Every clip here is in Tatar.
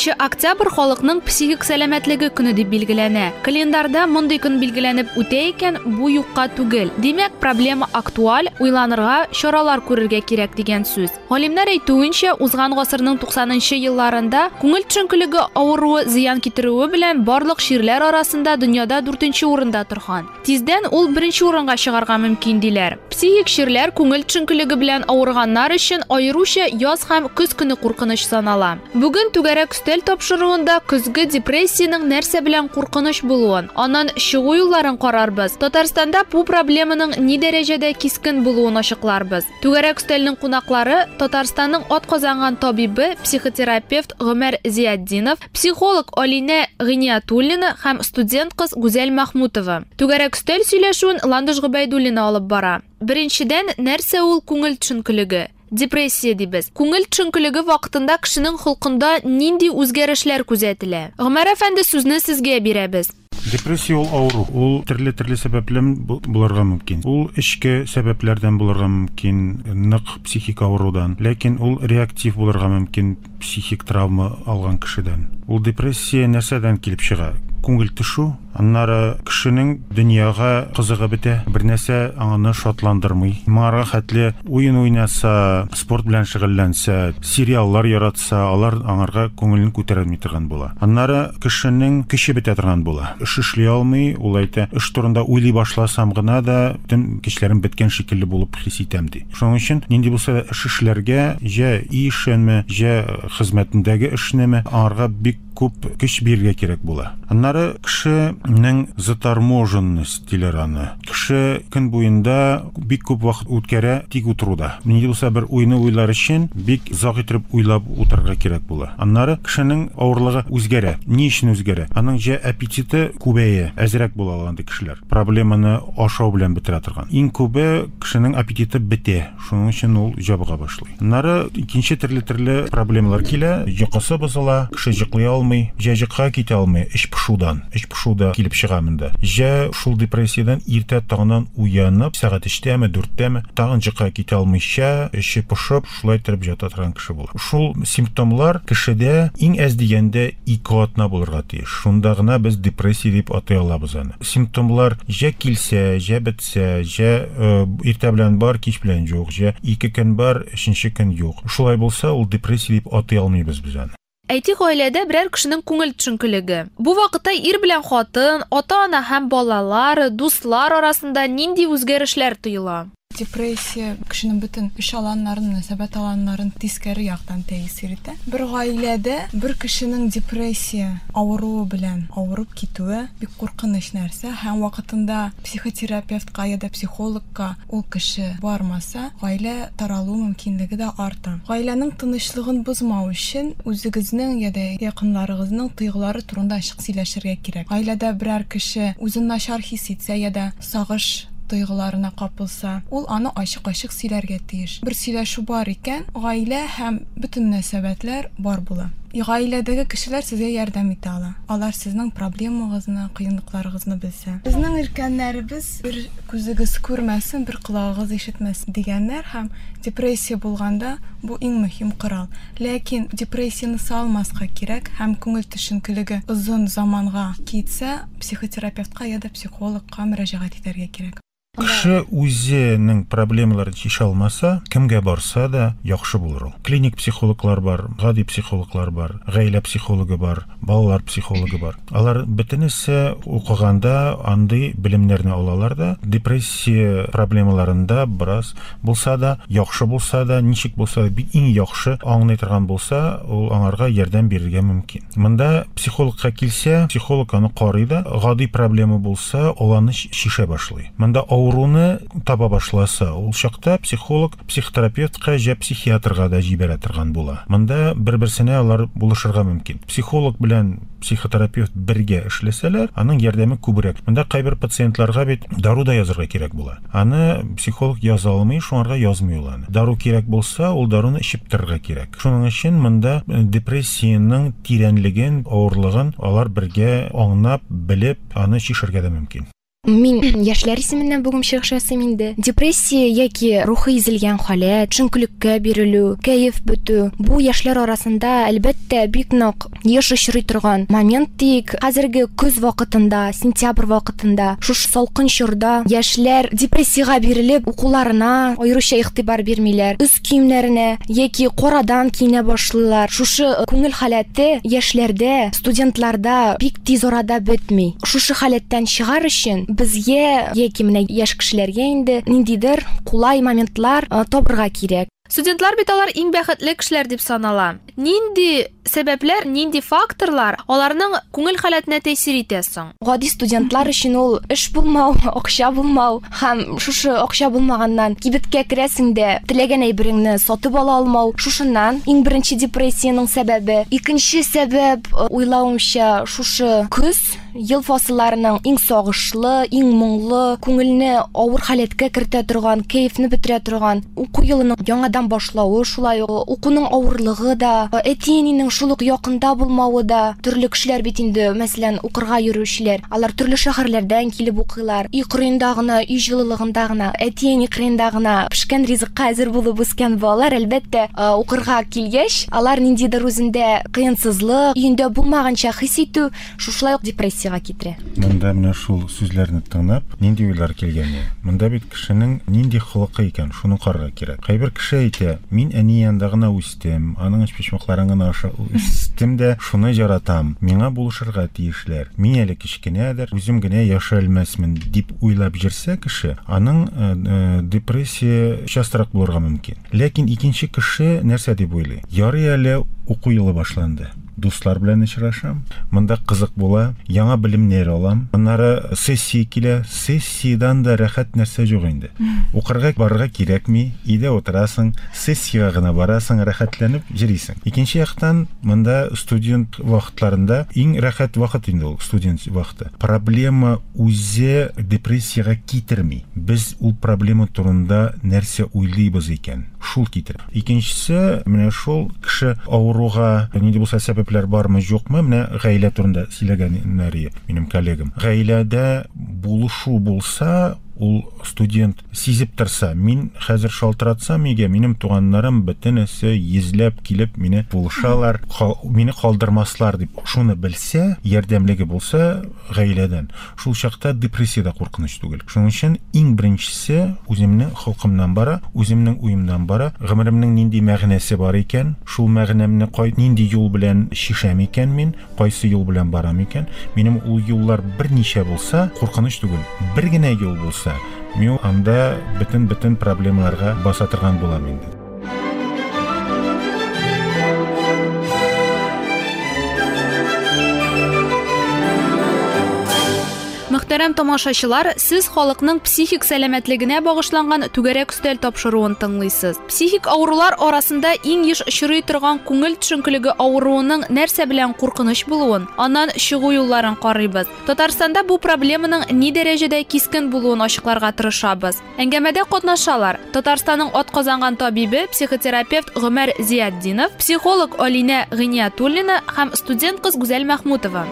19 октябрь халыкның психик сәламәтлеге көне дип билгеләнә. Календарьда мондый көн билгеләнеп үтә икән, бу юкка түгел. Димәк, проблема актуаль, уйланырга, чаралар күрергә кирәк дигән сүз. Галимнәр әйтүенчә, узган гасырның 90 нчы елларында күңел төшенкелеге авыруы зыян китерүе белән барлык чирләр арасында дөньяда дүртенче урында торган. Тиздән ул беренче урынга чыгарга мөмкин, диләр. Психик чирләр күңел төшенкелеге белән авырганнар өчен аеруча яз һәм көз көне куркыныч санала. Бүген Түгәрәк өстәл тапшыруында көзге депрессиянең нәрсә белән куркыныч булуын, аннан чыгу юлларын карарбыз, Татарстанда бу проблеманың ни дәрәҗәдә кискен булуын ачыкларбыз. Түгәрәк өстәлнең кунаклары, Татарстанның атказанган табибы, психотерапевт Гомәр Зиятдинов, психолог Алинә Гыйниятуллина һәм студент кыз Гүзәл Мәхмүтова. Түгәрәк өстәл сөйләшүен Ландыш Гобәйдуллина алып бара. Беренчедән, нәрсә ул күңел төшенкелеге? Депрессия дибез. Күңел төшенкелеге вакытында кешенең холкында нинди үзгәрешләр күзәтелә? Гомәр әфәнде, сүзне сезгә бирәбез. Депрессия ул авыру. Ул төрле-төрле сәбәплән булырга мөмкин. Ул эчке сәбәпләрдән булырга мөмкин, нык психик авырудан. Ләкин ул реактив булырга мөмкин, психик травма алган кешедән. Ул депрессия нәрсәдән килеп чыга? Күңел төшү, аннары кешенең дөньяга кызыгы бетә, бер нәрсә аны шатландырмый. Моңарга хәтле уен уйнаса, спорт белән шөгыльләнсә, сериаллар яратса, алар аңарга күңелен күтәрелми торган була. Аннары кешенең көче бетә торган була. Эш эшли алмый, ул әйтә, эш турында уйлый башласам гына да, бөтен көчләрем беткән шикелле булып хис итәм, ди. Шуның өчен нинди булса да эш эшләргә, җә өй эшенме, җә хезмәтендәге эшнеме, аңарга бик күп көч бирергә кирәк була. Аннары кешенең заторможенность диләр аны. Кеше көн буенда бик күп вакыт үткәрә тик утыруда. Нинди булса бер уйны уйлар өчен бик озак итеп уйлап утырырга кирәк була. Аннары кешенең авырлыгы үзгәрә. Ни өчен үзгәрә? Аның җә аппетиты күбәя, әзрәк була ала андый кешеләр. Проблеманы ашау белән бетерә торган. Иң күбе кешенең аппетиты бетә. Шуның өчен ул җабыга башлый. Аннары икенче төрле-төрле проблемалар килә. Йокысы бозыла, кеше йоклый алмый, җә йокыга китә алмый, эч пошудан. Эч пошу да килеп чыга монда. Җә шул депрессиядән иртә таңнан уянып, сәгать өчтәме, дүрттәме, тагын йокыга китә алмыйча, эче пошып, шулай торып ята торган кеше була. Шул симптомлар кешедә иң әз дигәндә ике атна булырга тиеш. Шунда гына без депрессия дип атый алабыз аны. Симптомлар җә килсә, җә бетсә, җә иртә белән бар, кич белән юк, җә ике көн бар, өченче көн юк. Шулай булса, ул депрессия дип атый алмыйбыз без аны. Әйтик, гаиләдә берәр кешенең күңел төшенкелеге. Бу вакытта ир белән хатын, ата-ана һәм балалар, дуслар арасында нинди үзгәрешләр тоела? Депрессия кешенең бөтен эш аланнарын, мөнәсәбәт аланнарын тискәре яктан тәэсир итә. Бер гаиләдә бер кешенең депрессия авыруы белән авырып китүе бик куркыныч нәрсә һәм вакытында психотерапевтка я да психологка ул кеше бармаса, гаилә таралу мөмкинлеге дә арта. Гаиләнең тынычлыгын бозмау өчен үзегезнең я да якыннарыгызның тойгылары турында ачык сөйләшергә кирәк. Гаиләдә берәр кеше үзен начар хис итсә я да сагыш тойгыларына капылса, ул аны ачык-ачык сөйләргә тиеш. Бер сөйләшү бар икән, гаилә һәм бөтен мөнәсәбәтләр бар була. Гаиләдәге кешеләр сезгә ярдәм итә ала. Алар сезнең проблемагызны, кыенлыкларыгызны белсә. Безнең өлкәннәребез бер күзегез күрмәсен, бер колагыгыз ишетмәсен дигәннәр һәм депрессия булганда бу иң мөһим корал. Ләкин депрессияне салмаска кирәк һәм күңел төшенкелеге озын заманга китсә, психотерапевтка я да психологка мөрәҗәгать итәргә кирәк. Кеше үзенең проблемаларын чишә алмаса, кемгә барса да яхшы булыр ул. Клиник психологлар бар, гади психологлар бар, гаилә психологы бар, балалар психологы бар. Алар бөтенесе укыганда андый белемнәрне алалар да, депрессия проблемаларында бераз булса да, яхшы булса да, ничек булса да, бик иң яхшы аңлый торган булса, ул аңарга ярдәм бирергә мөмкин. Монда психологка килсә, психолог аны карый да, гади проблема булса, ул аны чишә башлый. Монда авыруны таба башласа, ул чакта психолог психотерапевтка җә психиатрга да җибәрә торган була. Монда бер-берсенә алар булышырга мөмкин. Психолог белән психотерапевт бергә эшләсәләр, аның ярдәме күбрәк. Монда кайбер пациентларга бит дару да язырга кирәк була. Аны психолог яза алмый, шуңарга язмый ул аны. Дару кирәк булса, ул даруны эчеп торырга кирәк. Шуның өчен монда депрессиянең тирәнлеген, авырлыгын алар бергә аңлап, белеп, аны чишәргә дә мөмкин. Мин яшьләр исеменнән бүген чыгыш ясыйм инде. Депрессия яки рухи изелгән халәт, төшенкелеккә бирелү, кәеф бетү бу яшьләр арасында, әлбәттә, бик нык еш очрый торган момент диик. Хәзерге көз вакытында, сентябрь вакытында, шушы салкын чорда яшьләр депрессиягә бирелеп, укуларына аеруча игътибар бирмиләр, өс киемнәренә яки карадан киенә башлыйлар. Шушы күңел халәте яшьләрдә, студентларда бик тиз арада бетми. Шушы халәттән чыгар өчен безгә яки менә яшь кешеләргә инде ниндидер кулай моментлар табырга кирәк. Студентлар бит алар иң бәхетле кешеләр дип санала. Нинди сәбәпләр, нинди факторлар аларның күңел халәтенә тәэсир итә соң? Гади студентлар өчен ул эш булмау, акча булмау һәм шушы акча булмаганнан кибеткә керәсең дә теләгән әйбереңне сатып ала алмау. Шушыннан иң беренче депрессиянең сәбәбе. Икенче сәбәп, уйлавымча, шушы көз ел фасылларының иң сагышлы, иң моңлы, күңелне авыр халәткә кертә торган, кәефне бетерә торган уку елының яңадан башлавы, шулай ук укуның авырлыгы да, әти-әнинең шул ук якында булмавы да. Төрле кешеләр бит инде, мәсәлән, укырга йөрүчеләр, алар төрле шәһәрләрдән килеп укыйлар. Өй кырыенда гына, өй җылылыгында гына, әти-әни кырыенда гына пешкән ризыкка әзер булып үскән балалар, әлбәттә, укырга килгәч, алар ниндидер үзендә кыенсызлык, өендә булмаганча хис итү, шушылай ук депрессиягә китерә. Монда менә шул сүзләрне тыңлап, нинди уйлар килгән иде? Монда бит кешенең нинди холкы икән, шуны карарга кирәк. Кайбер кеше әйтә, мин әни янында гына үстем, аның өчпочмакларын гына ашап үстем дә, шуны яратам, миңа булышырга тиешләр, мин әле кечкенәдер, үзем генә яши алмасмын, дип уйлап йөрсә кеше, аның депрессия частрак булырга мөмкин. Ләкин икенче кеше нәрсә дип уйлый? Ярый әле уку елы башланды. Дуслар белән очрашам. Монда кызык була, яңа белемнәр алам. Аннары сессия килә. Сессиядән дә рәхәт нәрсә юк инде. Укырга барырга кирәкми, өйдә утырасың, сессиягә гына барасың, рәхәтләнеп йөрисең. Икенче яктан, монда студент вакытларында иң рәхәт вакыт инде ул, студент вакыты. Проблема үзе депрессиягә китерми. Без ул проблема турында нәрсә уйлыйбыз икән, шул китерә. Икенчесе, менә шул кеше авыруга нинди булса сәбәпләр бармы, юкмы, менә гаилә турында сөйләгәннәр минем коллегам. Гаиләдә булышу булса, ул студент сизеп торса, мин хәзер шалтыратсам өйгә, минем туганнарым бөтенесе йөзләп килеп мине булышалар, мине калдырмаслар дип, шуны белсә, ярдәмлеге булса гаиләдән, шул чакта депрессия дә куркыныч түгел. Шуның өчен иң беренчесе үземнең холкымнан бара, үземнең уемнан бара, гомеремнең нинди мәгънәсе бар икән, шул мәгънәмне нинди юл белән чишәм икән мин, кайсы юл белән барам икән, минем ул юллар берничә булса, куркыныч түгел. Бер генә юл булса, мин анда бөтен-бөтен проблемаларга баса торган булам инде. Мөхтәрәм тамашачылар, сез халыкның психик сәламәтлегенә багышланган түгәрәк өстәл тапшыруын тыңлыйсыз. Психик авырулар арасында иң еш очрый торган күңел төшенкелеге авыруының нәрсә белән куркыныч булуын, аннан чыгу юлларын карыйбыз. Татарстанда бу проблеманың ни дәрәҗәдә кискен булуын ачыкларга тырышабыз. Әңгәмәдә катнашалар Татарстанның атказанган табибе, психотерапевт Гомәр Зиятдинов, психолог Алинә Гыйниятуллина һәм студент кыз Гүзәл Мәхмүтова.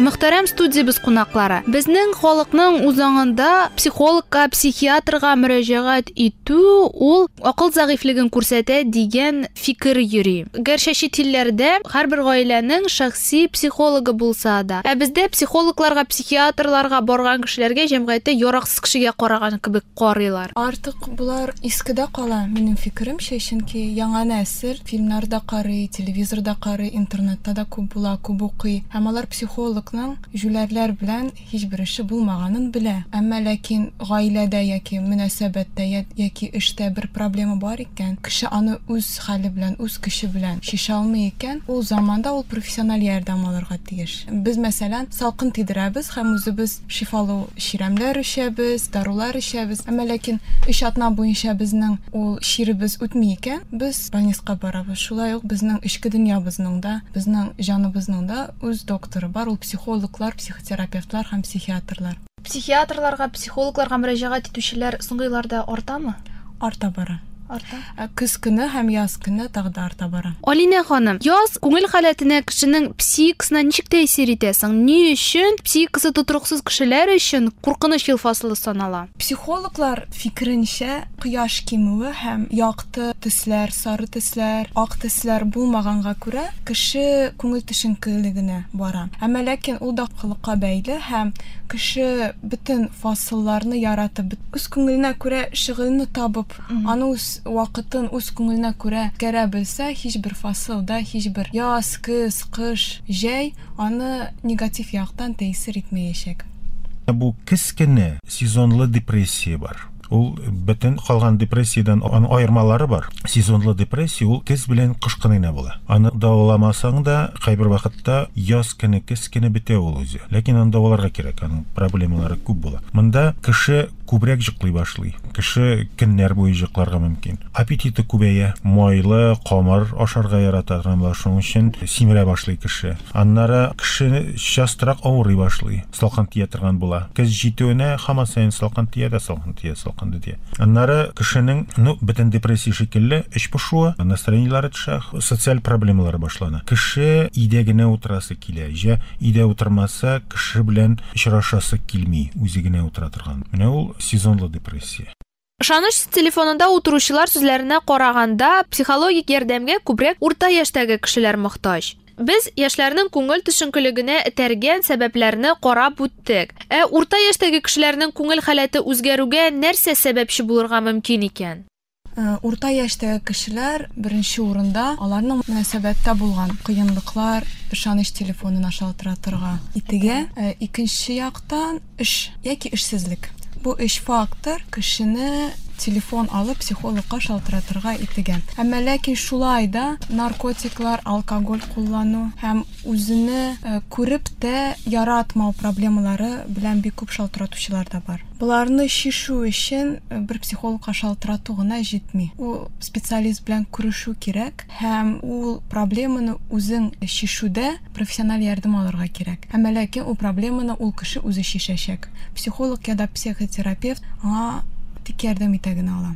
Мөхтәрәм студиябез кунаклары, безнең халыкның үз аңында психологка, психиатрга мөрәҗәгать итү ул акыл зәгыйфьлеген күрсәтә дигән фикер йөри. Гәрчә чит илләрдә һәрбер гаиләнең шәхси психологы булса да, ә бездә психологларга, психиатрларга барган кешеләргә җәмгыятьтә яраксыз кешегә караган кебек карыйлар. Артык болар искедә кала, минем фикеремчә, чөнки яңа нәсел фильмнарда карый, телевизорда карый, интернетта да күп була, күп укый. Һәм алар психологның җүләрләр белән һичбер эше булмаганын белә. Әмма ләкин гаиләдә яки мөнәсәбәттә яки эштә бер проблема бар икән, кеше аны үз хәле белән, үз көче белән чишә алмый икән, ул заманда ул профессиональ ярдәм алырга тиеш. Без, мәсәлән, салкын тидерәбез һәм үзебез шифалы чирәмләр эчәбез, дарулар эчәбез. Әмма ләкин 3 атна буенча безнең ул чиребез үтми икән, без больницага барабыз. Шулай ук безнең эчке дөньябызның да, безнең җаныбызның да үз докторы бар, ул психологлар, психотерапевтлар һәм психиатрлар. Психиатрларга, психологларга мөрәҗәгать итүчеләр соңгы елларда артамы? Арта бара. Арта. Көз көне һәм яз көне тагы да арта бара. Алинә ханым, яз күңел халәтенә, кешенең психикасына ничек тәэсир итә соң? Ни өчен психикасы тотрыксыз кешеләр өчен куркыныч ел фасылы санала? Психологлар фикеренчә, кояш кимүе һәм якты төсләр, сары төсләр, ак төсләр булмаганга күрә, кеше күңел төшенкелегенә бара. Әмма ләкин ул да холыкка бәйле һәм кеше бөтен фасылларны яратып, үз күңеленә күрә шөгыльне табып, аны үз вакытын үз күңеленә күрә үткәрә белсә, һичбер фасылда, һичбер яз, көз, кыш, җәй аны негатив яктан тәэсир итмәячәк. Бу кечкенә сезонлы депрессия бар. Ул бөтен калган депрессиядән аның аермалары бар. Сезонлы депрессия ул көз белән кыш көне генә була. Аны дәваламасаң да, кайбер вакытта яз көне, көз көне бетә ул үзе. Ләкин аны дәваларга кирәк, аның проблемалары күп була. Монда кеше күбрәк йоклый башлый. Кеше көннәр буе йокларга мөмкин. Аппетиты күбәя, майлы камыр ашарга ярата торган була, шуның өчен симерә башлый кеше. Аннары кеше частрак авырый башлый, салкын тия торган була. Көз җитүенә һаман саен салкын тия дә салкын тия, салкын тия. Аннары кешенең, ну, бөтен депрессия шикелле, эч пошуы, настроениеләре төшә, социаль проблемалары башлана. Кеше өйдә генә утырасы килә. Җә өйдә утырмаса, кеше белән очрашасы килми, үзе генә утыра торган. Менә ул сезонлы депрессия. Ышаныч телефонында утыручылар сүзләренә караганда, психологик ярдәмгә күбрәк урта яшьтәге кешеләр мохтаҗ. Без яшьләрнең күңел төшенкелегенә этәргән сәбәпләрне карап үттек. Ә урта яшьтәге кешеләрнең күңел халәте үзгәрүгә нәрсә сәбәпче булырга мөмкин икән? Урта яшьтәге кешеләр беренче урында аларның мөнәсәбәттә булган кыенлыклар ышаныч телефонына шалтыратырга итегә. Икенче яктан эш яки эшсезлек. Бу өч фактор кешене телефон алып психологка шалтыратырга итегә. Әмма ләкин шулай да наркотиклар, алкоголь куллану һәм үзене күреп тә яратмау проблемалары белән бик күп шалтыратучылар да бар. Боларны чишү өчен бер психологка шалтырату гына җитми. Ул специалист белән күрешү кирәк һәм ул проблеманы үзең чишүдә профессиональ ярдәм алырга кирәк. Әмма ләкин ул проблеманы ул кеше үзе чишәчәк. Психолог я да психотерапевт аңа тик ярдәм итә генә ала.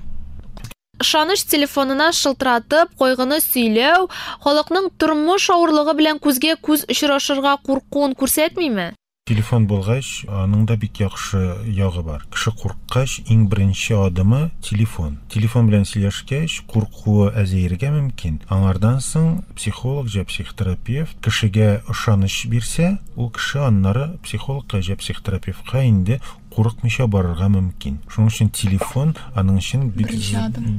Ышаныч телефонына шылтыратып, кайгыны сөйләү халыкның тормыш авырлыгы белән күзгә күз очрашырга куркуын күрсәтмиме? Телефон булгач, аның да бик яхшы ягы бар. Кеше курыккач, иң беренче адымы телефон. Телефон белән сөйләшкәч, куркуы әзәергә мөмкин. Аңардан соң психолог җә психотерапевт кешегә ышаныч бирсә, ул кеше аннары психологка җә психотерапевтка инде курыкмыйча барырга мөмкин. Шуның өчен телефон аның өчен бик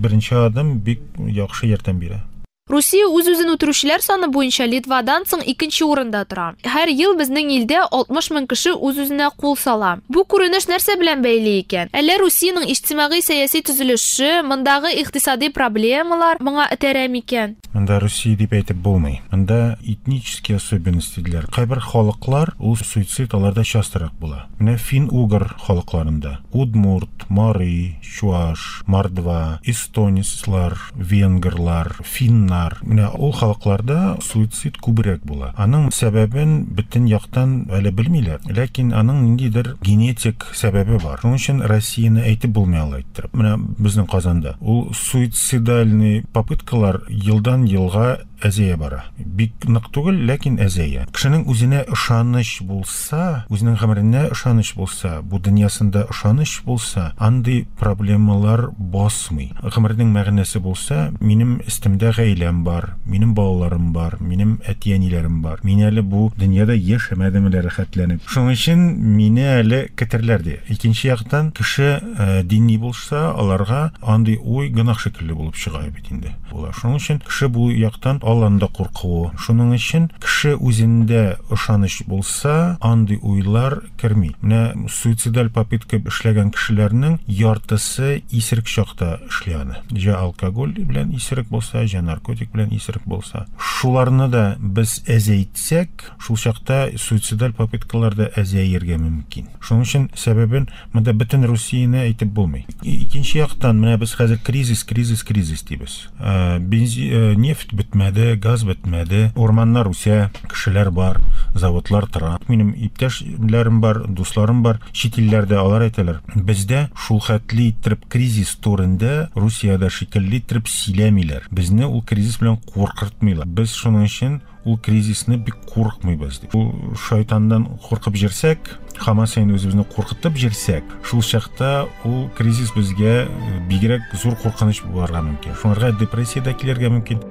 беренче адым, бик яхшы ярдәм бирә. Русия үз-үзен үтерүчеләр саны буенча Литвадан соң икенче урында тора. Һәр ел безнең илдә 60 мең кеше үз-үзенә кул сала. Бу күренеш нәрсә белән бәйле икән? Әллә Русиянең иҗтимагый-сәяси төзелеше, мондагы икътисади проблемалар моңа этәрә микән? Монда Русия дип әйтеп булмый. Монда этнические особенности диләр. Кайбер халыклар ул суицид аларда частырак була. Менә фин-угор халыкларында удмурт, мари, чуаш, мордва, эстонецлар, венгрлар, финнар. Менә ул халыкларда суицид күбрәк була. Аның сәбәбен бөтен яктан әле белмиләр. Ләкин аның ниндидер генетик сәбәбе бар. Шуның өчен Россияне әйтеп булмый алай иттереп. Менә безнең Казанда ул суицидальный попыткалар елдан елга әзәя бара. Бик нык түгел, ләкин әзәя. Кешенең үзенә ышаныч булса, үзенең гомеренә ышаныч булса, бу дөньясында ышаныч булса, андый проблемалар басмый. Гомернең мәгънәсе булса, минем өстемдә гаиләм бар, минем балаларым бар, минем әти-әниләрем бар. Мин әле бу дөньяда яшәмәдем әле рәхәтләнеп. Шуның өчен мине әле көтерләр ди. Икенче яктан, кеше дини булса, аларга андый уй гөнаһ шикелле булып чыга бит инде. Була. Шуның өчен кеше бу яктан Алланы да куркуы. Шуның өчен кеше үзендә ышаныч булса, андый уйлар керми. Менә суицидаль попытка эшләгән кешеләрнең яртысы исерек чакта эшли аны. Җә алкоголь белән исерек булса, җә наркотик белән исерек булса. Шуларны да без әзәйтсәк, шул чакта суицидаль попыткалар да әзәергә мөмкин. Шуның өчен сәбәбен монда бөтен Русияне әйтеп булмый. Икенче яктан, менә без хәзер кризис, кризис, кризис дибез. Бензин, нефть бетмәде, газ бетмәде, урманнар үсә, кешеләр бар. Заводлар тора. Минем иптәшләрем бар, дусларым бар, чит илләрдә алар әйтәләр. Бездә шул хәтле иттереп кризис турында Русиядә шикелле иттереп сөйләмиләр. Безне ул кризис белән куркытмыйлар. Без шуның өчен ул кризисны бик куркмыйбыз дип. Ул шайтаннан куркып җирсәк, һаман саен үзебезне куркытып җирсәк, шул чакта ул кризис безгә бигрәк зур куркыныч булырга мөмкин. Шуңарга депрессия дә килергә мөмкин.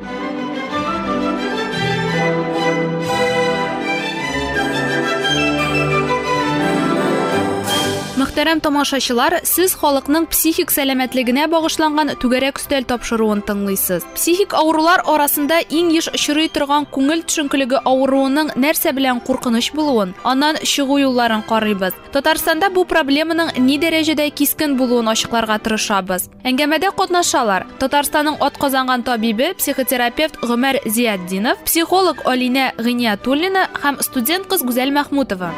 Мөхтәрәм тамашачылар, сез халыкның психик сәламәтлегенә багышланган түгәрәк өстәл тапшыруын тыңлыйсыз. Психик авырулар арасында иң еш очрый торган күңел төшенкелеге авыруының нәрсә белән куркыныч булуын, аннан чыгу юлларын карыйбыз. Татарстанда бу проблеманың ни дәрәҗәдә кискен булуын ачыкларга тырышабыз. Әңгәмәдә катнашалар Татарстанның атказанган табибе, психотерапевт Гомәр Зиятдинов, психолог Алинә Гыйниятуллина һәм студент кыз Гүзәл Мәхмүтова.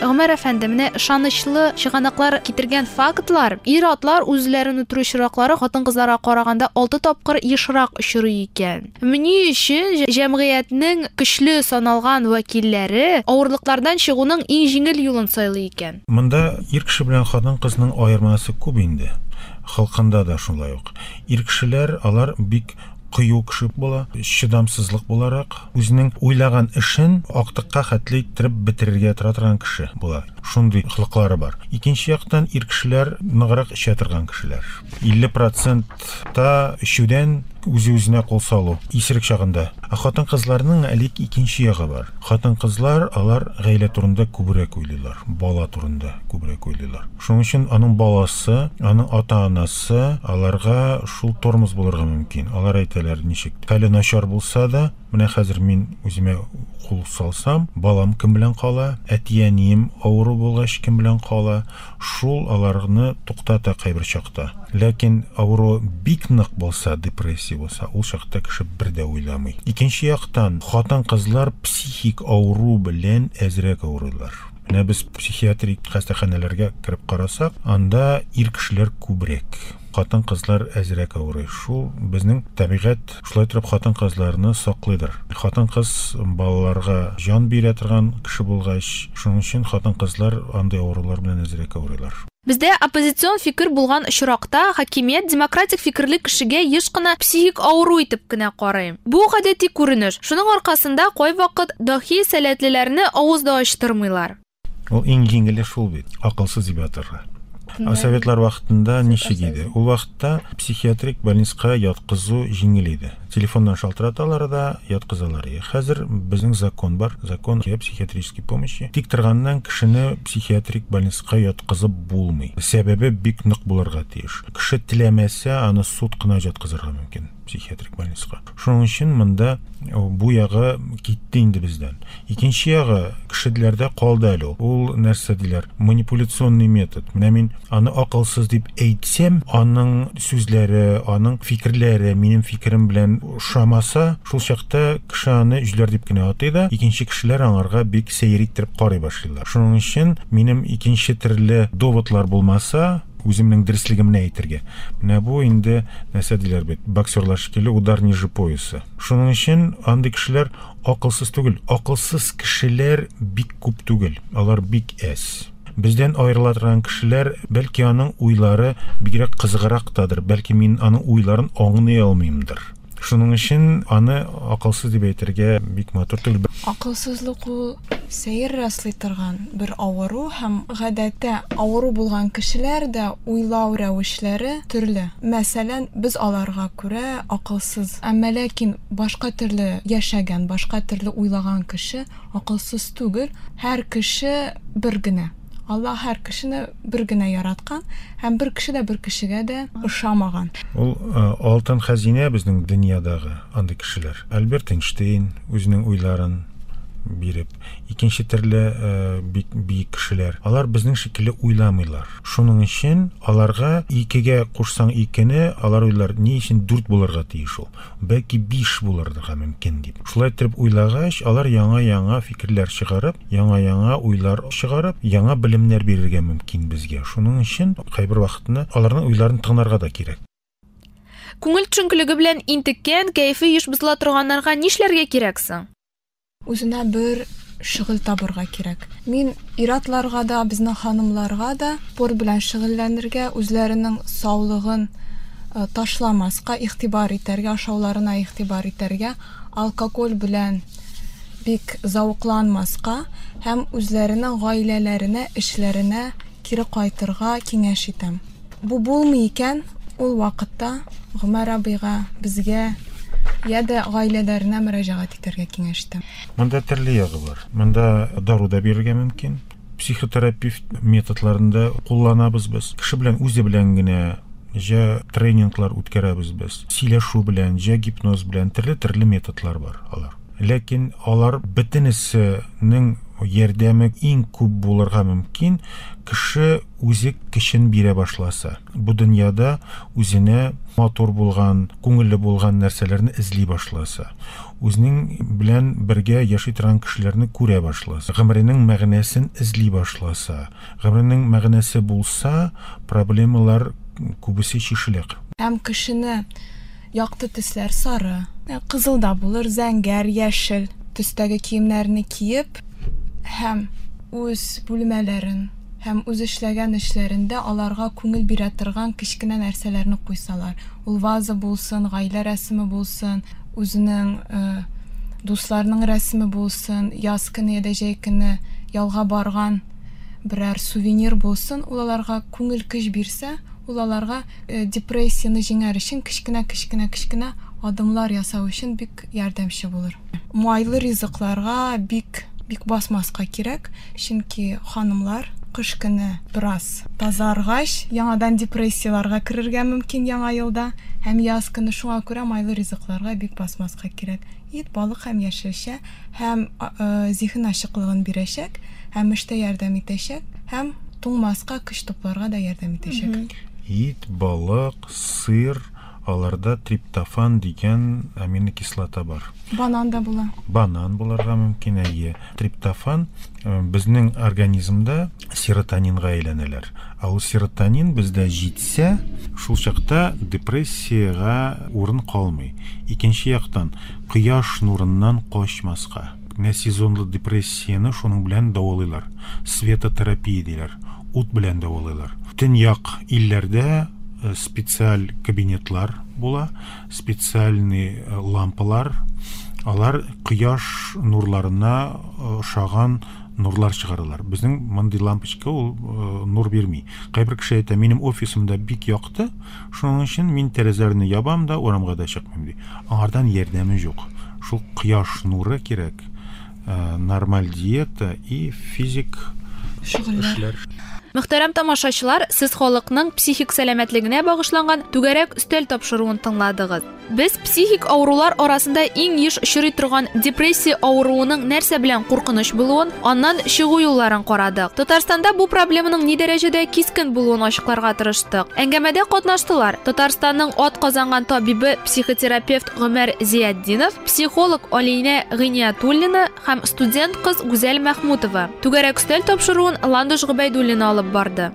Гомәр әфәнде, менә ышанычлы чыганаклар китергән фактлар, ир-атлар үзләрен үтерү очраклары хатын-кызларга караганда 6 тапкыр ешрак очрый икән. Ни өчен җәмгыятьнең көчле саналган вәкилләре авырлыклардан чыгуның иң җиңел юлын сайлый икән? Монда ир кеше белән хатын-кызның аермасы күп инде. Халкында да шулай ук. Ир кешеләр алар бик кыю кеше була, чыдамсызлык буларак, үзенең уйлаган эшен актыкка хәтле иттереп бетерергә тора торган кеше була. Шундый холыклары бар. Икенче яктан ир кешеләр ныграк эчә торган кешеләр. 50% та эчүдән үзе-үзенә кул салу исерек чагында. Ә хатын-кызларның әле икенче ягы бар. Хатын-кызлар алар гаилә турында күбрәк уйлыйлар, бала турында күбрәк уйлыйлар. Шуның өчен аның баласы, аның ата-анасы аларга шул тормоз булырга мөмкин. Алар әйтәләр, ничек хәле начар булса да, менә хәзер мин үземә кул салсам, балам кем белән кала, әти-әнием авыру булгач кем белән кала, шул аларны туктата кайбер чакта. Ләкин авыру бик нык булса, депрессия булса, ул чакта кеше бер дә уйламый. Икенче яктан, хатын-кызлар психик авыру белән әзрәк авырыйлар. Менә без психиатрик хастаханәләргә кереп карасак, анда ир кешеләр күбрәк, хатын-кызлар әзрәк авырый. Шул безнең табигать шулай торып хатын-кызларны саклыйдыр. Хатын-кыз балаларга җан бирә торган кеше булгач, шуның өчен хатын-кызлар андый авырулар белән әзрәк авырыйлар. Бездә оппозицион фикер булган очракта хакимият демократик фикерле кешегә еш кына психик авыру итеп кенә карый. Бу гадәти күренеш. Шуның аркасында кайвакыт дахи сәләтлеләрне авыз да ачтырмыйлар. Ул иң җиңеле шул бит, акылсыз дип атарга. Ә советлар вакытында ничек иде? Ул вакытта психиатрик больницага яткызу җиңел иде. Телефоннан шалтыраталар да яткызалар. Хәзер безнең закон бар, закон о психиатрической помощи. Тик торганнан кешене психиатрик больницага яткызып булмый. Сәбәбе бик нык булырга тиеш. Кеше теләмәсә, аны суд кына яткызырга мөмкин психиатрик больницага. Шуның өчен монда бу ягы китте инде бездән. Икенче ягы кешеләрдә калды әле ул. Ул нәрсә диләр? Манипуляционный метод. Менә мин аны акылсыз дип әйтсәм, аның сүзләре, аның фикерләре минем фикерем белән ошамаса, шул чакта кеше аны җүләр дип кенә атый да, икенче кешеләр аңарга бик сәер иттереп карый башлыйлар. Шуның өчен минем икенче төрле доводлар булмаса, үземнең дөреслегемне әйтергә. Менә бу инде нәрсә диләр бит, боксерлар шикелле удар ниже пояса. Шуның өчен андый кешеләр акылсыз түгел. Акылсыз кешеләр бик күп түгел, алар бик әз. Бездән аерыла торган кешеләр, бәлки аның уйлары бигрәк кызыграктадыр, бәлки мин аның уйларын аңлый алмыймдыр. Шуның өчен аны акылсыз дип әйтергә бик матур түгел. Акылсызлык ул сәер раслый торган бер авыру, һәм гадәттә авыру булган кешеләр дә уйлау рәвешләре төрле. Мәсәлән, без аларга күрә акылсыз, әмма ләкин башка төрле яшәгән, башка төрле уйлаган кеше акылсыз түгел. Һәр кеше бер генә. Алла һәр кешене бер генә яраткан, һәм бер кеше дә бер кешегә дә ошамаган. Ул алтын хәзинә безнең дөньядагы андый кешеләр. Альберт Эйнштейн үзенең уйларын биреп, икенче төрле бик биек кешеләр. Алар безнең шикелле уйламыйлар. Шуның өчен аларга икегә кушсаң икене, алар уйлар, ни өчен 4 булырга тиеш ул? Бәлки 5 булырга мөмкин дип. Шулай итеп уйлагач, алар яңа-яңа фикерләр чыгарып, яңа-яңа уйлар чыгарып, яңа белемнәр бирергә мөмкин безгә. Шуның өчен кайбер вакытны аларның уйларын тыңларга да кирәк. Күңел төшенкелеге белән интеккән, кәефе еш бозыла торганнарга нишләргә кирәк соң? Үзенә бер шөгыль табырга кирәк. Мин ир-атларга да, безнең ханымларга да спорт белән шөгыльләнергә, үзләренең саулыгын ташламаска, игътибар итәргә, ашауларына игътибар итәргә, алкоголь белән бик зәвыкланмаска һәм үзләренең гаиләләренә, эшләренә кире кайтырга киңәш итәм. Бу булмый икән, ул вакытта Гомәр абыйга, безгә я дә гаиләләренә мөрәҗәгать итәргә киңәш итәм. Монда төрле ягы бар. Монда дару да бирергә мөмкин. Психотерапевт методларын да кулланабыз без. Кеше белән үзе белән генә җә тренинглар үткәрәбез без. Сөйләшү белән, җә гипноз белән төрле-төрле методлар бар алар. Ләкин алар бөтенесенең ярдәме иң күп булырга мөмкин, кеше үзе көчен бирә башласа. Бу дөньяда үзенә матур булган, күңелле булган нәрсәләрне эзли башласа. Үзенең белән бергә яши торган кешеләрне күрә башласа, гомеренең мәгънәсен эзли башласа, гомеренең мәгънәсе булса, проблемалар күбесе чишелә. Һәм кешене якты төсләр сары, кызыл да булыр, зәңгәр, яшел төстәге киемнәрне киеп һәм үз бүлмәләрен һәм үз эшләгән эшләрендә аларга күңел бирә торган кечкенә нәрсәләрне куйсалар. Ул ваза булсын, гаилә рәсеме булсын, үзенең дусларының рәсеме булсын, яз көне я да җәй көне ялга барган берәр сувенир булсын, ул аларга күңел көч бирсә, ул аларга депрессияне җиңәр өчен кечкенә-кечкенә-кечкенә адымлар ясау өчен бик ярдәмче булыр. Майлы ризыкларга бик бик басмаска кирәк, чөнки ханымлар кыш көне бераз тазаргач, яңадан депрессияларга керергә мөмкин яңа елда һәм яз көне, шуңа күрә майлы ризыкларга бик басмаска кирәк. Ит, балык һәм яшелчә һәм зиһен ачыклыгын бирәчәк, һәм эштә ярдәм итәчәк, һәм туңмаска, көч тупларга да ярдәм итәчәк. Ит, балык, сыр, аларда триптофан дигән аминокислота бар. Банан да була. Банан булырга мөмкин, әйе. Триптофан безнең организмда серотонинга әйләнәләр. Ә ул серотонин бездә җитсә, шул чакта депрессиягә урын калмый. Икенче яктан, кояш нурыннан качмаска. Менә сезонлы депрессияне шуның белән дәвалыйлар. Светотерапия диләр. Ут белән дәвалыйлар. Төньяк илләрдә специаль кабинетлар була, специальный лампалар. Алар кояш нурларына ошаган нурлар чыгаралар. Безнең мондый лампочка ул нур бирми. Кайбер кеше әйтә, минем офисымда бик якты, шуның өчен мин тәрәзәләрне ябам да урамга да чыкмыйм ди. Аңардан ярдәме юк. Шул кояш нуры кирәк, нормаль диета и физик шөгыльләр. Мөхтәрәм тамашачылар, сез халыкның психик сәламәтлегенә багышланган түгәрәк өстәл тапшыруын тыңладыгыз. Без психик авырулар арасында иң еш очрый торган депрессия авыруының нәрсә белән куркыныч булуын, аннан чыгу юлларын карадык. Татарстанда бу проблеманың ни дәрәҗәдә кискен булуын ачыкларга тырыштык. Әңгәмәдә катнаштылар Татарстанның ат казанган табибы, психотерапевт Гомәр Зиятдинов, психолог Алинә Гыйниятуллина һәм студент кыз Гүзәл Мәхмүтова. Түгәрәк өстәл тапшыруын Ландыш Гобәйдуллина алып барды.